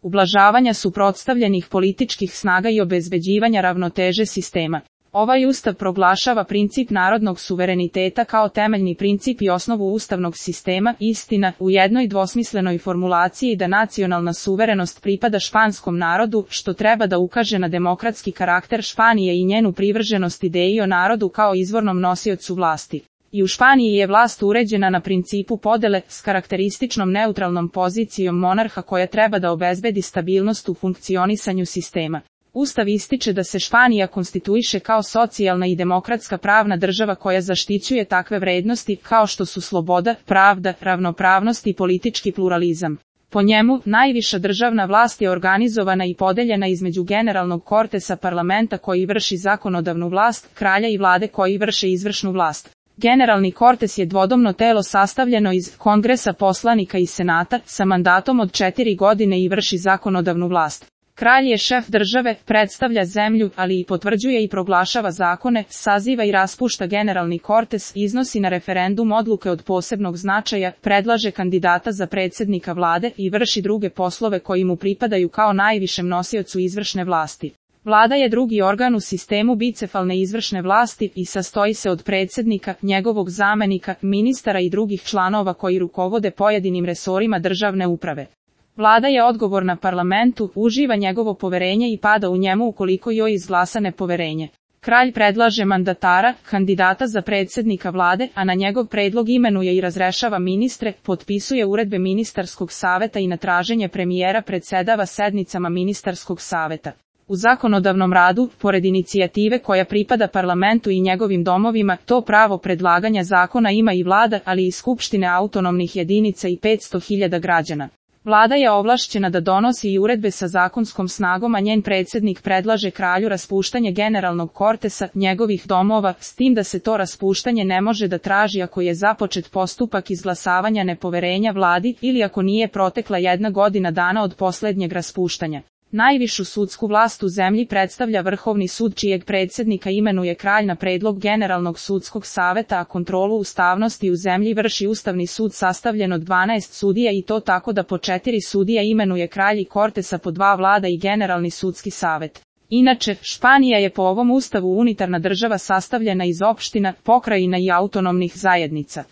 ublažavanja suprotstavljenih političkih snaga i obezbeđivanja ravnoteže sistema. Ovaj ustav proglašava princip narodnog suvereniteta kao temeljni princip i osnovu ustavnog sistema, istina, u jednoj dvosmislenoj formulaciji da nacionalna suverenost pripada španskom narodu, što treba da ukaže na demokratski karakter Španije i njenu privrženost ideji o narodu kao izvornom nosiocu vlasti. I u Španiji je vlast uređena na principu podele, s karakterističnom neutralnom pozicijom monarha koja treba da obezbedi stabilnost u funkcionisanju sistema. Ustav ističe da se Španija konstituiše kao socijalna i demokratska pravna država koja zaštićuje takve vrednosti kao što su sloboda, pravda, ravnopravnost i politički pluralizam. Po njemu, najviša državna vlast je organizovana i podeljena između generalnog kortesa parlamenta koji vrši zakonodavnu vlast, kralja i vlade koji vrše izvršnu vlast. Generalni kortes je dvodomno telo sastavljeno iz kongresa poslanika i senata, sa mandatom od 4 godine i vrši zakonodavnu vlast. Kralj je šef države, predstavlja zemlju, ali i potvrđuje i proglašava zakone, saziva i raspušta generalni kortes, iznosi na referendum odluke od posebnog značaja, predlaže kandidata za predsjednika vlade i vrši druge poslove koji mu pripadaju kao najvišem nosiocu izvršne vlasti. Vlada je drugi organ u sistemu bicefalne izvršne vlasti i sastoji se od predsjednika, njegovog zamenika, ministara i drugih članova koji rukovode pojedinim resorima državne uprave. Vlada je odgovorna parlamentu, uživa njegovo poverenje i pada u njemu ukoliko joj izglasa nepoverenje. Kralj predlaže mandatara, kandidata za predsjednika vlade, a na njegov predlog imenuje i razrešava ministre, potpisuje uredbe ministarskog saveta i na traženje premijera predsedava sednicama ministarskog saveta. U zakonodavnom radu, pored inicijative koja pripada parlamentu i njegovim domovima, to pravo predlaganja zakona ima i vlada, ali i skupštine autonomnih jedinica i 500.000 građana. Vlada je ovlašćena da donosi i uredbe sa zakonskom snagom, a njen predsjednik predlaže kralju raspuštanje generalnog kortesa, njegovih domova, s tim da se to raspuštanje ne može da traži ako je započet postupak izglasavanja nepoverenja vladi ili ako nije protekla 1 godina dana od posljednjeg raspuštanja. Najvišu sudsku vlast u zemlji predstavlja Vrhovni sud čijeg predsjednika imenuje kralj na predlog Generalnog sudskog saveta, a kontrolu ustavnosti u zemlji vrši Ustavni sud sastavljen od 12 sudija i to tako da po 4 sudija imenuje kralj i kortesa po 2 vlada i Generalni sudski savet. Inače, Španija je po ovom ustavu unitarna država sastavljena iz opština, pokrajina i autonomnih zajednica.